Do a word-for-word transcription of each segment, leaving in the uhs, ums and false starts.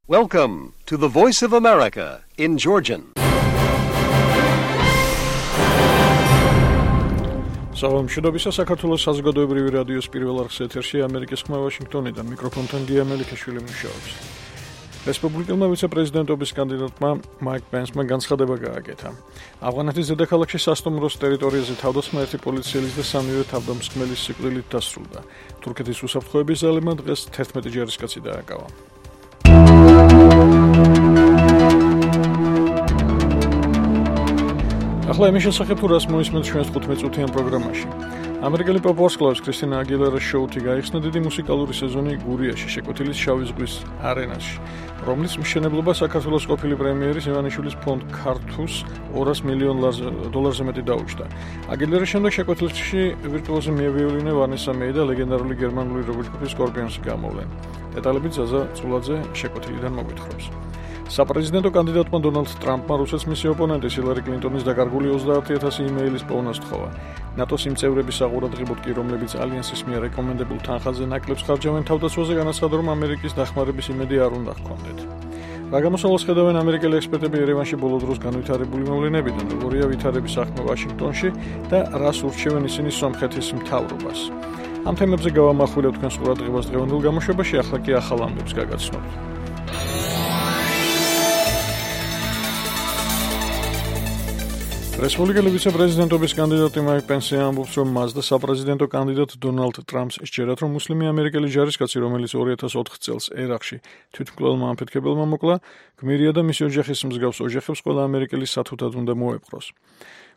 Welcome to the Voice of America in Georgian. Salam შედობისა საქართველოს საზოგადოებრივი რადიოს პირველ არხის ეთერში ამერიკის ხმა ვაშინგტონიდან მიკროფონთან გია მელიქაშვილი მუშაობს. რესპუბლიკელმა ვიცე-პრეზიდენტობის კანდიდატმა მაიკ პენსმა განცხადება გააკეთა. ავღანეთის დედაქალაქში სასტუმროს ტერიტორიაზე თავდასხმა ერთი პოლიციელის და სამივე თავდამსხმელის სიკვდილით დასრულდა. თურქეთის უსაფრთხოების ძალებმა დღეს თერთმეტი ჯარისკაცი დააკავა. ახლა იმის შესახებ თუ რას მოისმენთ ჩვენს თხუთმეტ-წუთიან პროგრამაში. ამერიკელი პოპ ვარსკვლავის კრისტინა აგილერას შოუთი გაიხსნა დიდი მუსიკალური სეზონი გურიაში, შეკვეთილის შავი ზღვის არენაში, რომლის მშენებლობა საქართველოს ყოფილი პრემიერის ივანიშვილის ფონდ ქართუს ორას მილიონ დოლარზე მეტი დაუჯდა. აგილერის შემდეგ შეკვეთილში ვირტუოზი მიევიოლინე ვანესა მეი და ლეგენდარული გერმანული როკ ჯგუფი სკორპიონსი გამოვლენ. დეტალები ზაზა წულაძე შეკვეთილიდან მოგვითხრობს. საპრეზიდენტო კანდიდატმა დონალდ ტრამპმა რუსეთის მისი ოპონენტის ჰილარი კლინტონის დაკარგული ოცდაათი ათასი იმეილის პოვნა სთხოვა. ნატოს იმ წევრების საყურადღებოდ კი, რომლებიც ალიანსის მიერ რეკომენდებულ თანხაზე ნაკლებს ხარჯავენ თავდაცვაზე, განაცხადა, რომ ამერიკის დახმარების იმედი არ უნდა ჰქონდეთ. რა გამოსავალს ხედავენ ამერიკელი ექსპერტები ერევანში ბოლო დროს განვითარებული მოვლენებიდან, როგორია ვითარების საქმე ვაშინგტონში და რას ურჩევენ ისინი სომხეთის მთავრობას. ამ თემებზე გავამახვილებ თქვენს ყურადღებას დღევანდელ გამოშვებაში, ახლა კი ახალ ამბებს გაგაცნობთ. რესპუბლიკელი ვიცე-პრეზიდენტობის კანდიდატი მაიკ პენსი ამბობს, რომ მას და საპრეზიდენტო კანდიდატ დონალდ ტრამპს სჯერათ, რომ მუსლიმი ამერიკელი ჯარისკაცი, რომელიც ორი ათას ოთხ წელს ერაყში თვითმკვლელმა ამფეთქებელმა მოკლა, გმირია და მისი ოჯახის მსგავს ოჯახებს ყველა ამერიკელი სათუთად უნდა მოეპყროს.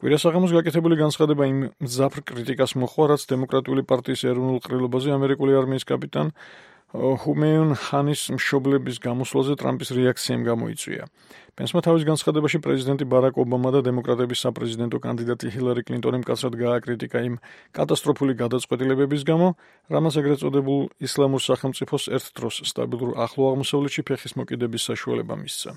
კვირას აღამოს გაკეთებული განცხადება იმ მძაფრ კრიტიკას მოჰყვა, რაც დემოკრატიული პარტიის ეროვნულ ყრილობაზე ამერიკული არმიის კაპიტან ჰუმეიუნ ხანის მშობლების გამოსვლაზე ტრამპის რეაქციამ გამოიწვია. პენსმა თავის განცხადებაში პრეზიდენტი ბარაკ ობამა და დემოკრატების საპრეზიდენტო კანდიდატი ჰილარი კლინტონი მკაცრად გააკრიტიკა იმ კატასტროფული გადაწყვეტილებების გამო, რამაც ეგრეთ წოდებულ ისლამურ სახელმწიფოს ერთ დროს სტაბილურ ახლო აღმოსავლეთში ფეხის მოკიდების საშუალება მისცა.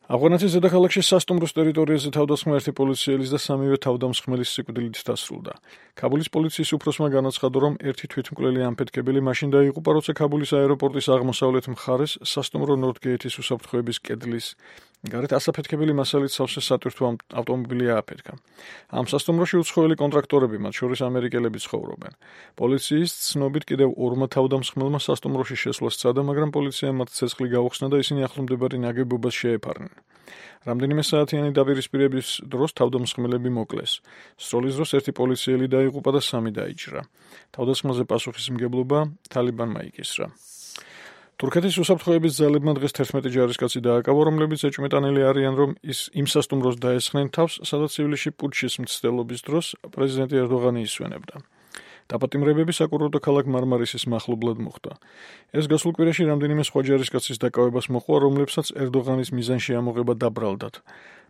ავღანეთის დედაქალაქში სასტუმროს ტერიტორიაზე თავდასხმა ერთი პოლიციელის და სამივე თავდამსხმელის სიკვდილით დასრულდა. ქაბულის პოლიციის უფროსმა განაცხადა, რომ ერთი თვითმკვლელი ამფეთქებელი მაშინ დაიღუპა, როცა ქაბულის აეროპორტის აღმოსავლეთ მხარეს სასტუმრო ნორთგეითის უსაფრთხოების კედლის გარეთ ასაფეთქებელი მასალით სავსე სატვირთო ავტომობილი ააფეთქა. ამ სასტუმროში უცხოელი კონტრაქტორები, მათ შორის ამერიკელები ცხოვრობენ. პოლიციის ცნობით კიდევ ორმა თავდამსხმელმა სასტუმროში შესვლა სცადა, მაგრამ პოლიციამ მათ ცეცხლი გაუხსნა და ისინი ახლომდებარე ნაგებობას შეეფარნენ. რამდენიმე საათიანი დაპირისპირების დროს თავდამსხმელები მოკლეს. სროლის დროს ერთი პოლიციელი დაიღუპა და სამი დაიჭრა. თავდასხმაზე პასუხისმგებლობა თალიბანმა იკისრა. თურქეთის უსაფრთხოების ძალებმა დღეს თერთმეტი ჯარისკაცი დააკავა, რომლებიც ეჭვმეტანილი არიან, რომ ის იმ სასტუმროს დაესხნენ თავს, სადაც ივლისში პუტჩის მცდელობის დროს პრეზიდენტი ერდოღანი ისვენებდა. დაპატიმრებები საკურორტო ქალაქ მარმარისის მახლობლად მოხდა. ეს გასულ კვირაში რამდენიმე სხვა ჯარისკაცის დაკავებას მოჰყვა, რომლებსაც ერდოღანის მიზანში ამოღება დაბრალდათ.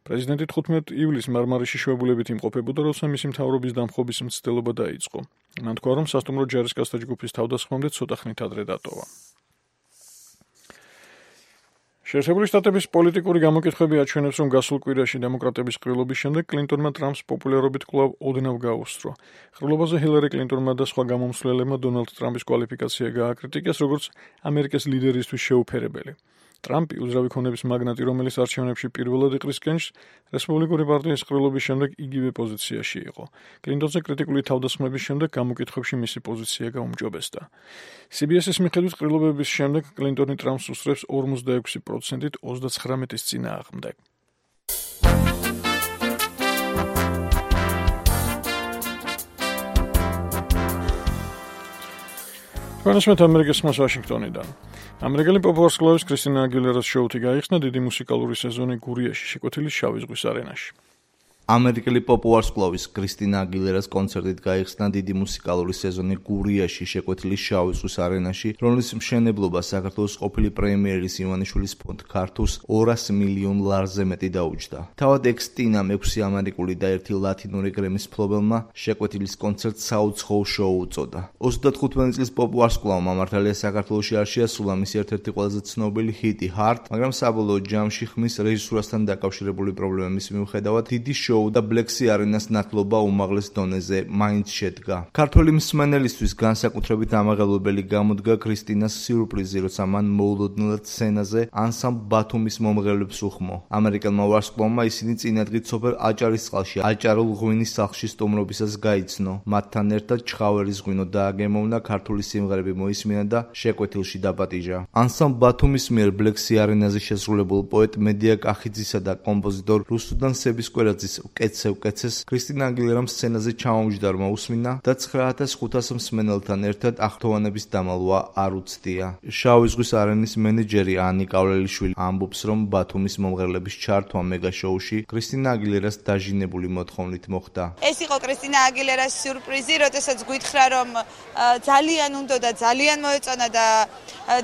პრეზიდენტი თხუთმეტ ივლისს მარმარისში შვებულებით იმყოფებოდა, როცა მისი მთავრობის დამხობის მცდელობა დაიწყო. მან თქვა, რომ სასტუმრო ჯარისკაცთა ჯგუფის თავდასხმამდე ცოტა ხნით ადრე დატოვა. შეერთებული შტატების პოლიტიკური გამოკითხვები აჩვენებს, რომ გასულ კვირაში დემოკრატების ყრილობის შემდეგ კლინტონმა ტრამპს პოპულარობით კვლავ ოდნავ გაუსწრო. ყრილობაზე ჰილარი კლინტონმა და სხვა გამომცვლელებმა დონალდ ტრამპის კვალიფიკაცია გააკრიტიკეს, როგორც ამერიკის ლიდერისთვის შეუფერებელი. ტრამპი, უძრავი ქონების მაგნატი, რომელიც არჩევნებში პირველად იყრის კენჭს, რესპუბლიკური პარტიის ყრილობის შემდეგ იგივე პოზიციაში იყო. კლინტონზე კრიტიკული თავდასხმების შემდეგ გამოკითხვებში მისი პოზიცია გაუმჯობესდა. სი ბი ეს-ის მიხედვით ყრილობების შემდეგ კლინტონი ტრამპს უსწრებს ორმოცდაექვსი პროცენტით ოცდაცხრამეტის წინააღმდეგ. ჩვენესმეთ ამერიკის ხმას ვაშინგტონიდან. ამერიკელი პოპ ვარსკვლავის კრისტინა აგილერას შოუთი გაიხსნა დიდი მუსიკალური სეზონი გურიაში, შეკვეთილის შავი ზღვის არენაში. ამერიკელი პოპ ვარსკვლავის კრისტინა აგილერას კონცერტით გაიხსნა დიდი მუსიკალური სეზონი გურიაში, შეკვეთილის შავი ზღვის არენაში, რომლის მშენებლობა საქართველოს ყოფილი პრემიერის ივანიშვილის ფონდ ქართუს ორას მილიონ ლარზე მეტი დაუჯდა. თავად ექს-ტინამ ექვსი ამერიკული და ერთი ლათინური გრემის მფლობელმა შეკვეთილის კონცერტს საუცხოო შოუ უწოდა. ოცდათხუთმეტი წლის პოპ ვარსკვლავმა მართალია საქართველოში არ შეასრულა მისი ერთ-ერთი ყველაზე ცნობილი ჰიტი Heart, მაგრამ საბოლოო ჯამში ხმის რეჟისურასთან დაკავშირებული პრობლემების მიუხედავად დიდი შოუ შოუ და Black Sea Arena-ს ნათლობა უმაღლეს დონეზე მაინც შედგა. ქართველი მსმენელისთვის განსაკუთრებით ამაღელვებელი გამოდგა ქრისტინას სიურპრიზი, როცა მან მოულოდნელად სცენაზე ანსამბლ ბათუმის მომღერლებს უხმო. ამერიკელმა ვარსკვლავმა ისინი წინადღით სოფელ აჭარისწყალში აჭარულ ღვინის სახლში სტუმრობისას გაიცნო. მათთან ერთად ჩხავერის ღვინო დააგემოვნა, ქართული სიმღერები მოისმინა და შეკვეთილში დაპატიჟა. ანსამბლ ბათუმის მიერ Black Sea Arena-ზე შესრულებულ პოეტ მედია კახიძისა და კომპოზიტორ რუსუდან სებისკვერაძის „ვკეცე ვკეცეს“ ქრისტინა აგილერამ სცენაზე ჩამომჯდარმა უსმინა და ცხრა ათას ხუთას მსმენელთან ერთად აღფრთოვანების დამალვა არ უცდია. შავი ზღვის არენის მენეჯერი ანი კავლელიშვილი ამბობს, რომ ბათუმის მომღერლების ჩართვა მეგა შოუში ქრისტინა აგილერას დაჟინებული მოთხოვნით მოხდა. ეს იყო ქრისტინა აგილერას სიურპრიზი, როდესაც გვითხრა, რომ ძალიან უნდა და ძალიან მოეწონა და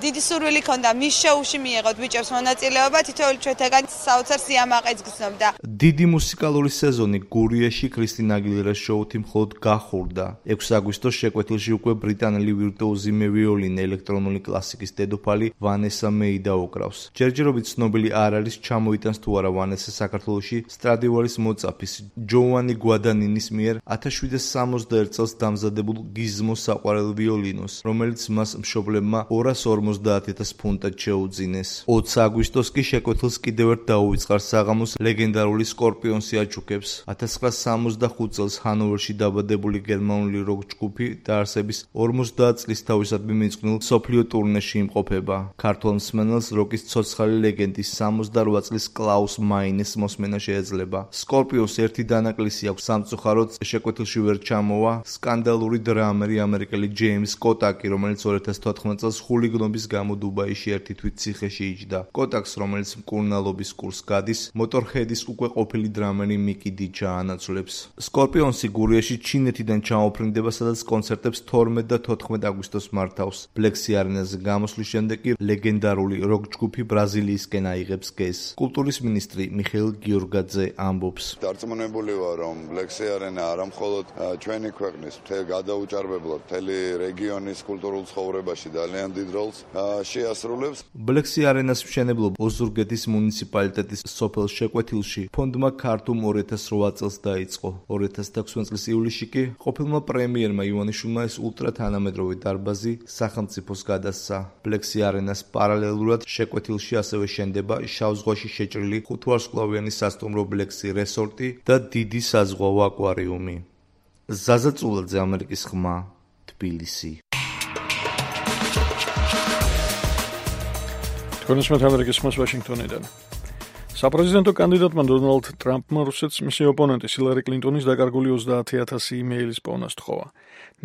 დიდი სურვილი ჰქონდა მის შოუში მიეღოთ ბიჭებს მონაწილეობა, თითოეული ჩვენთაგან საოცარ სიამაყეც გრძნობდა. დიდი მუსიკალური სეზონი გურიაში ქრისტინა აგილერას შოუთ მხოლოდ გახურდა. ექვსი აგვისტოს შეკვეთილში უკვე ბრიტანელი ვირტუოზი მევიოლინე ელექტრონული კლასიკის დედოფალი ვანესა მეი დაუკრავს. ჯერჯერობით ცნობილი არ არის, ჩამოიტანს თუ არა ვანესა საქართველოში სტრადივარის მოწაფის ჯოუანი გვადანინის მიერ ათას შვიდსა სამოცდაერთ წელს დამზადებულ გიზმოს საყვარელ ვიოლინოს, რომელიც მას მშობლებმა ორას ორმოცდაათ ათას ფუნტად შეუძინეს. ოცი აგვისტოს კი შეკვეთილს კიდევ ერთ დაუვიწყარ საღამოს ლეგენდარული სკორპიონსი აჩუქებს. ათას ცხრაასა სამოცდახუთ წელს ჰანოვერში დაბადებული გერმანული როკ ჯგუფი დაარსების ორმოცდაათ წლის თავისადმი მიწყვნილ მსოფლიო ტურნეში იმყოფება. ქართველ მსმენელს როკის ცოცხალი ლეგენდის სამოცდარვა წლის კლაუს მაინეს მოსმენა შეეძლება. სკორპიონს ერთი დანაკლისი აქვს, სამწუხაროდ შეკვეთილში ვერ ჩამოვა სკანდალური დრამერი ამერიკელი ჯეიმს კოტაკი, რომელიც ორი ათას თოთხმეტ წელს ხულიგნობის გამო დუბაიში ერთი თვით ციხეში იჯდა. კოტაკს, რომელიც მკურნალობის კურსს გადის, მოტორჰედის უკვე ყოფილი დრამერი მიკი დიჩა ანაცვლებს. სკორპიონსი გურიაში ჩინეთიდან ჩამოფრინდება, სადაც კონცერტებს თორმეტ და თოთხმეტ აგვისტოს მართავს. Black Sea Arena-ზე გამოსვლის შემდეგ კი ლეგენდარული როკ ჯგუფი ბრაზილიისკენ აიღებს გეზს. კულტურის მინისტრი მიხეილ გიორგაძე ამბობს: დარწმუნებული ვარ, რომ Black Sea Arena არა მხოლოდ ჩვენი ქვეყნის მთელ გადაუჭარბებლად მთელი რეგიონის კულტურულ ცხოვრებაში ძალიან დიდ როლს შეასრულებს. Black Sea Arena-ს მშენებლობა ოზურგეთის მუნიციპალიტეტის სოფელ შეკვეთილში ფონდმა ქართუმ ორი ათას რვა წელს დაიწყო. ორი ათას თექვსმეტ წლის ივლისში კი ყოფილმა პრემიერმა ივანიშვილმა ეს ულტრათანამედროვე დარბაზი სახელმწიფოს გადასცა. Black Sea Arena-ს პარალელურად შეკვეთილში ასევე შენდება შავ ზღვაში შეჭრილი ხუთვარსკვლავიანი სასტუმრო Black Sea Resort-ი და დიდი საზღვაო აკვარიუმი. ზაზა წულაძე, ამერიკის ხმა, თბილისი. თქვენს ამერიკის ხმას ვაშინგტონიდან. საპრეზიდენტო კანდიდატმა დონალდ ტრამპმა რუსეთს მისი ოპონენტის ჰილარი კლინტონის დაკარგული ოცდაათი ათასი იმეილის პოვნა სთხოვა.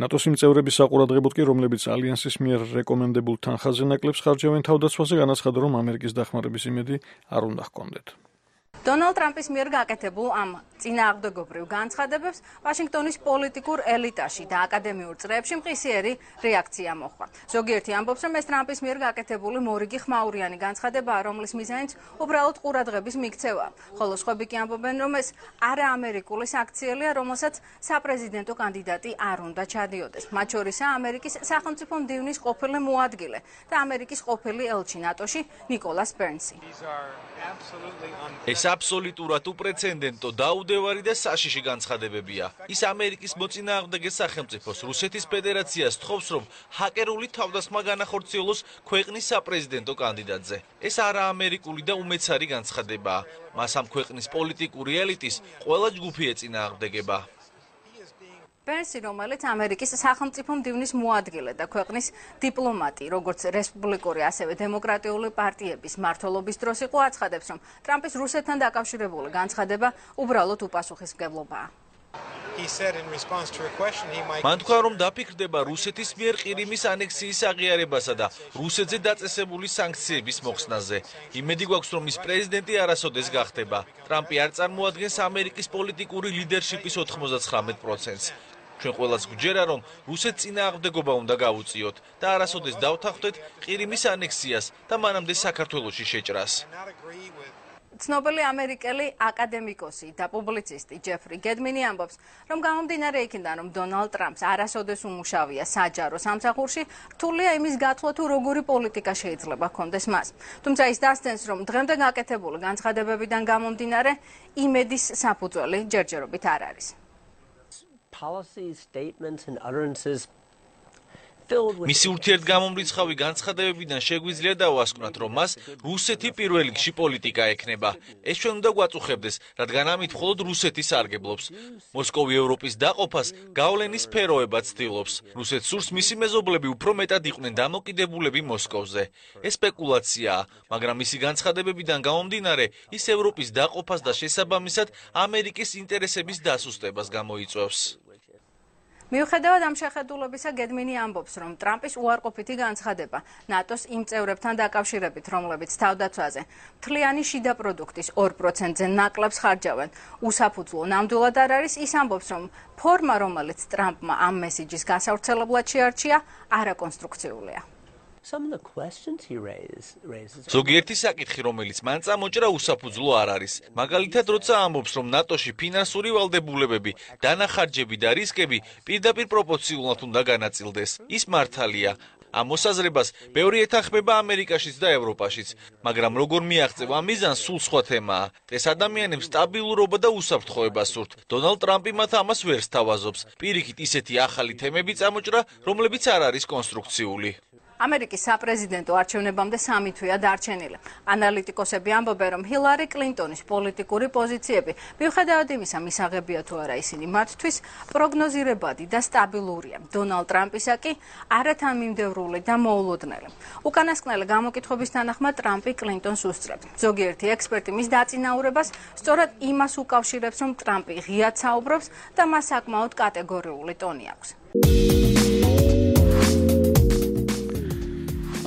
ნატოს იმ წევრების საყურადღებოდ კი, რომლებიც ალიანსის მიერ რეკომენდებულ თანხაზე ნაკლებს ხარჯავენ თავდაცვაზე, განაცხადა, რომ ამერიკის დახმარების იმედი არ უნდა ჰქონდეთ. დონალდ ტრამპის მიერ გაკეთებულ ამ წინააღმდეგობრივ განცხადებებს ვაშინგტონის პოლიტიკურ ელიტაში და აკადემიურ წრეებში მყისიერი რეაქცია მოჰყვა. ზოგიერთი ამბობს, რომ ეს ტრამპის მიერ გაკეთებული მორიგი ხმაურიანი განცხადებაა, რომლის მიზანიც უბრალოდ ყურადღების მიქცევაა. ხოლო სხვები კი ამბობენ, რომ ეს არაამერიკული საქციელია, რომელსაც საპრეზიდენტო კანდიდატი არ უნდა ჩადიოდეს. მათ შორისაა ამერიკის სახელმწიფო მდივნის ყოფილი მოადგილე და ამერიკის ყოფილი ელჩი ნატოში ნიკოლას ბერნსი. ეს აბსოლუტურად უპრეცედენტო, დაუდევარი და საშიში განცხადებებია. ის ამერიკის მოწინააღმდეგე სახელმწიფოს რუსეთის ფედერაციას თხოვს, რომ ჰაკერული თავდასხმა განახორციელოს ქვეყნის საპრეზიდენტო კანდიდატზე. ეს არაამერიკული და უმეცარი განცხადებაა. მას ამ ქვეყნის პოლიტიკური ელიტის ყველა ჯგუფი ეწინააღმდეგება. ბერნსი, რომელიც ამერიკის სახელმწიფო მდივნის მოადგილე და ქვეყნის დიპლომატი, როგორც რესპუბლიკური, ასევე დემოკრატიული პარტიების მმართველობის დროს იყო, აცხადებს, რომ ტრამპის რუსეთთან დაკავშირებული განცხადება უბრალოდ უპასუხისმგებლობაა. მან თქვა, რომ დაფიქრდება რუსეთის მიერ ყირიმის ანექსიის აღიარებასა და რუსეთზე დაწესებული სანქციების მოხსნაზე. იმედი გვაქვს, რომ ის პრეზიდენტი არასოდეს გახდება. ტრამპი არ წარმოადგენს ამერიკის პოლიტიკური ლიდერშიპის ოთხმოცდაცხრამეტ პროცენტს. ჩვენ ყველას გვჯერა, რომ რუსეთს წინააღმდეგობა უნდა გავუწიოთ და არასოდეს დავთანხმდეთ ყირიმის ანექსიას და მანამდე საქართველოში შეჭრას. ცნობილი ამერიკელი აკადემიკოსი და პუბლიცისტი ჯეფრი გედმინი ამბობს, რომ გამომდინარე იქიდან, რომ დონალდ ტრამპს არასოდეს უმუშავია საჯარო სამსახურში, რთულია იმის გათვლა, თუ როგორი პოლიტიკა შეიძლება ჰქონდეს მას. თუმცა ის დასცენს, რომ დღემდე გაკეთებული განცხადებებიდან გამომდინარე, იმედის საფუძველი ჯერჯერობით არ არის. Policies, statements and utterances მისი ურთიერთგამომრიცხავი განცხადებებიდან შეგვიძლია დავასკვნათ, რომ მას რუსეთი პირველ რიგში პოლიტიკა ექნება. ეს ჩვენ უნდა გვაწუხებდეს, რადგან ამით მხოლოდ რუსეთი სარგებლობს. მოსკოვი ევროპის დაყოფას გავლენის სფეროებად ცდილობს. რუსეთს სურს მისი მეზობლები უფრო მეტად იყვნენ დამოკიდებულები მოსკოვზე. ეს სპეკულაციაა, მაგრამ მისი განცხადებებიდან გამომდინარე, ის ევროპის დაყოფას და შესაბამისად ამერიკის ინტერესების დასუსტებას გამოიწვევს. მიუხედავად ამ შეხედულებისა, გედმინი ამბობს, რომ ტრამპის უარყოფითი განცხადება ნატოს იმ წევრებთან დაკავშირებით, რომლებიც თავდაცვაზე მთლიანი შიდა პროდუქტის ორ პროცენტზე ნაკლებს ხარჯავენ, უსაფუძვლო ნამდვილად არ არის. ის ამბობს, რომ ფორმა, რომელიც ტრამპმა ამ მესიჯის გასავრცელებლად შეარჩია, არაკონსტრუქციულია. ზოგიერთი საკითხი, რომელიც მან წამოჭრა, უსაფუძვლო არ არის. მაგალითად, როცა ამბობს, რომ ნატოში ფინანსური ვალდებულებები, დანახარჯები და რისკები პირდაპირ პროპორციულად უნდა განაწილდეს. ის მართალია. ამ მოსაზრებას ბევრი ეთანხმება ამერიკაშიც და ევროპაშიც, მაგრამ როგორ მიაღწევ ამ მიზანს, სულ სხვა თემაა. ეს ადამიანებს სტაბილურობა და უსაფრთხოება სურთ. დონალდ ტრამპი მათ ამას ვერ სთავაზობს. პირიქით, ისეთი ახალი თემები წამოჭრა, რომლებიც არ არის კონსტრუქციული. ამერიკის საპრეზიდენტო არჩევნებამდე სამი თვეა დარჩენილი. ანალიტიკოსები ამბობენ, რომ ჰილარი კლინტონის პოლიტიკური პოზიციები, მიუხედავად იმისა, მისაღებია თუ არა ისინი მათთვის, პროგნოზირებადი და სტაბილურია. დონალდ ტრამპისა კი არათანმიმდევრული და მოულოდნელი. უკანასკნელი გამოკითხების თანახმად ტრამპი კლინტონს უსწრებს. ზოგიერთი ექსპერტი მის დაწინაურებას სწორად იმას უკავშირებს, რომ ტრამპი ღიად საუბრობს და მას საკმაოდ კატეგორიული ტონი აქვს.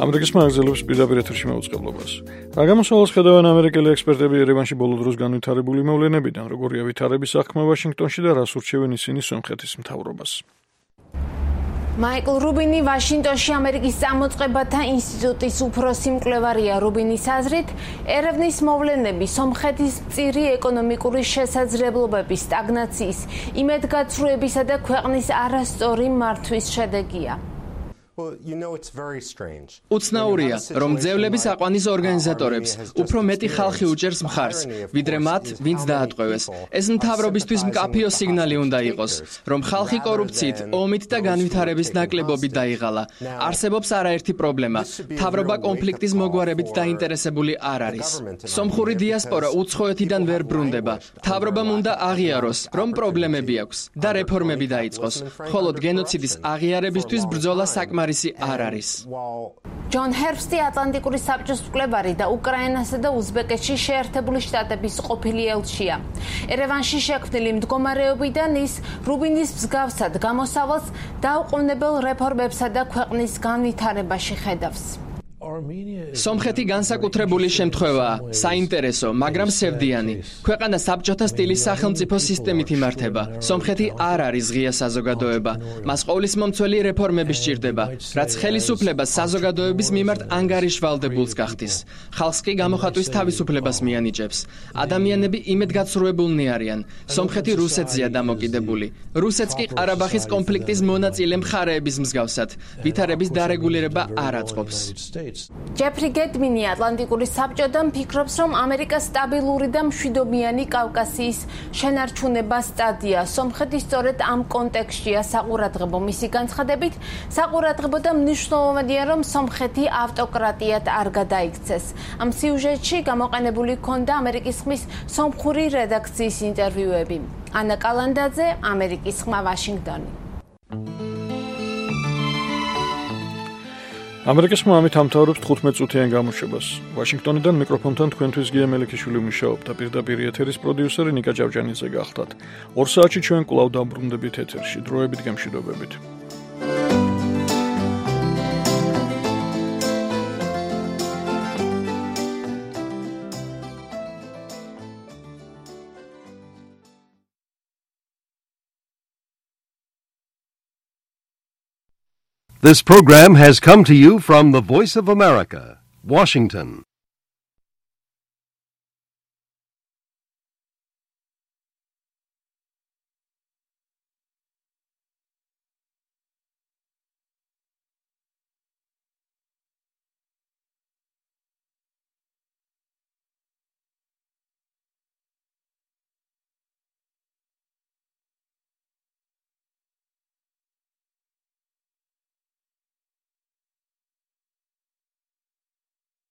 ამერიკის მაღაზიელებს პირდაპირ ეთერში მეუწყებლობას. რა გამოსავალს ხედავენ ამერიკელი ექსპერტები ერევანში ბოლო დროს განვითარებული მოვლენებიდან, როგორია ვითარების საქმე ვაშინგტონში და რას ურჩევენ ისინი სომხეთის მთავრობას. მაიკლ რუბინი ვაშინგტონში ამერიკის წამოწყებათა ინსტიტუტის უფროსი მკვლევარია. რუბინის აზრით, ერევნის მოვლენები სომხეთის მწირი ეკონომიკური შესაძლებლობების, სტაგნაციის, იმედგაცრუებისა და ქვეყნის არასწორი მართვის შედეგია. უცნაურია, რომ ძევლების აყვანის ორგანიზატორებს უფრო მეტი ხალხი უჭერს მხარს, ვიდრე მათ, ვინც დაატყვევეს. ეს მთავრობისთვის მკაფიო სიგნალი უნდა იყოს, რომ ხალხი კორუფციით, ომით და განვითარების ნაკლებობით დაიღალა. არსებობს არაერთი პრობლემა. მთავრობა კონფლიქტის მოგვარებით დაინტერესებული არ არის. სომხური დიასპორა უცხოეთიდან ვერ ბრუნდება. მთავრობამ უნდა აღიაროს, რომ პრობლემები აქვს და რეფორმები დაიწყოს. მხოლოდ გენოციდის აღიარებისთვის ბრძოლა საკმარისი არ არის. ჯონ ჰერბსტი ატლანტიკური საბჭოს მკვლევარი და უკრაინასა და უზბეკეთში შეერთებული შტატების ყოფილი ელჩია. ერევანში შექმნილი მდგომარეობიდან ის რუბინის მსგავსად გამოსავალს დაუყოვნებელ რეფორმებსა და ქვეყნის განვითარებაში ხედავს. სომხეთი განსაკუთრებული შემთხვევაა, საინტერესო, მაგრამ სევდიანი. ქვეყანა საბჭოთა სტილის სახელმწიფო სისტემით იმართება. სომხეთი არ არის ღია საზოგადოება. მას ყოვლისმომცველი რეფორმები სჭირდება, რაც ხელისუფლებას საზოგადოების მიმართ ანგარიშვალდებულს გახდის. ხალხს კი გამოხატვის თავისუფლებას მიანიჭებს. ადამიანები იმედგაცრუებულნი არიან. სომხეთი რუსეთზეა დამოკიდებული. რუსეთს კი ყარაბაღის კონფლიქტის მონაწილე მხარეების მსგავსად ვითარების დარეგულირება არ აწყობს. ჯეფრი გედმინი ატლანტიკური საბჭოდან ფიქრობს, რომ ამერიკას სტაბილური და მშვიდობიანი კავკასიის შენარჩუნება სტადია. სომხეთი სწორედ ამ კონტექსტშია საყურადღებო. მისი განცხადებით, საყურადღებო და მნიშვნელოვანია, რომ სომხეთი ავტოკრატიად არ გადაიქცეს. ამ სიუჟეტში გამოყენებული ჰქონდა ამერიკის ხმის სომხური რედაქციის ინტერვიუები. ანა კალანდაძე, ამერიკის ხმა, ვაშინგტონი. ამერიკის ხმა ამით ამთავრებს თხუთმეტ წუთიან გამოშვებას. ვაშინგტონიდან მიკროფონთან თქვენთვის გია მელიქიშვილი მუშაობდა. პირდაპირ ეთერის პროდიუსერი ნიკა ჭავჭანიძე გახდათ. ორ საათში ჩვენ კვლავ დაბრუნდებით ეთერში. დროებით გემშვიდობებით. This program has come to you from the Voice of America, Washington.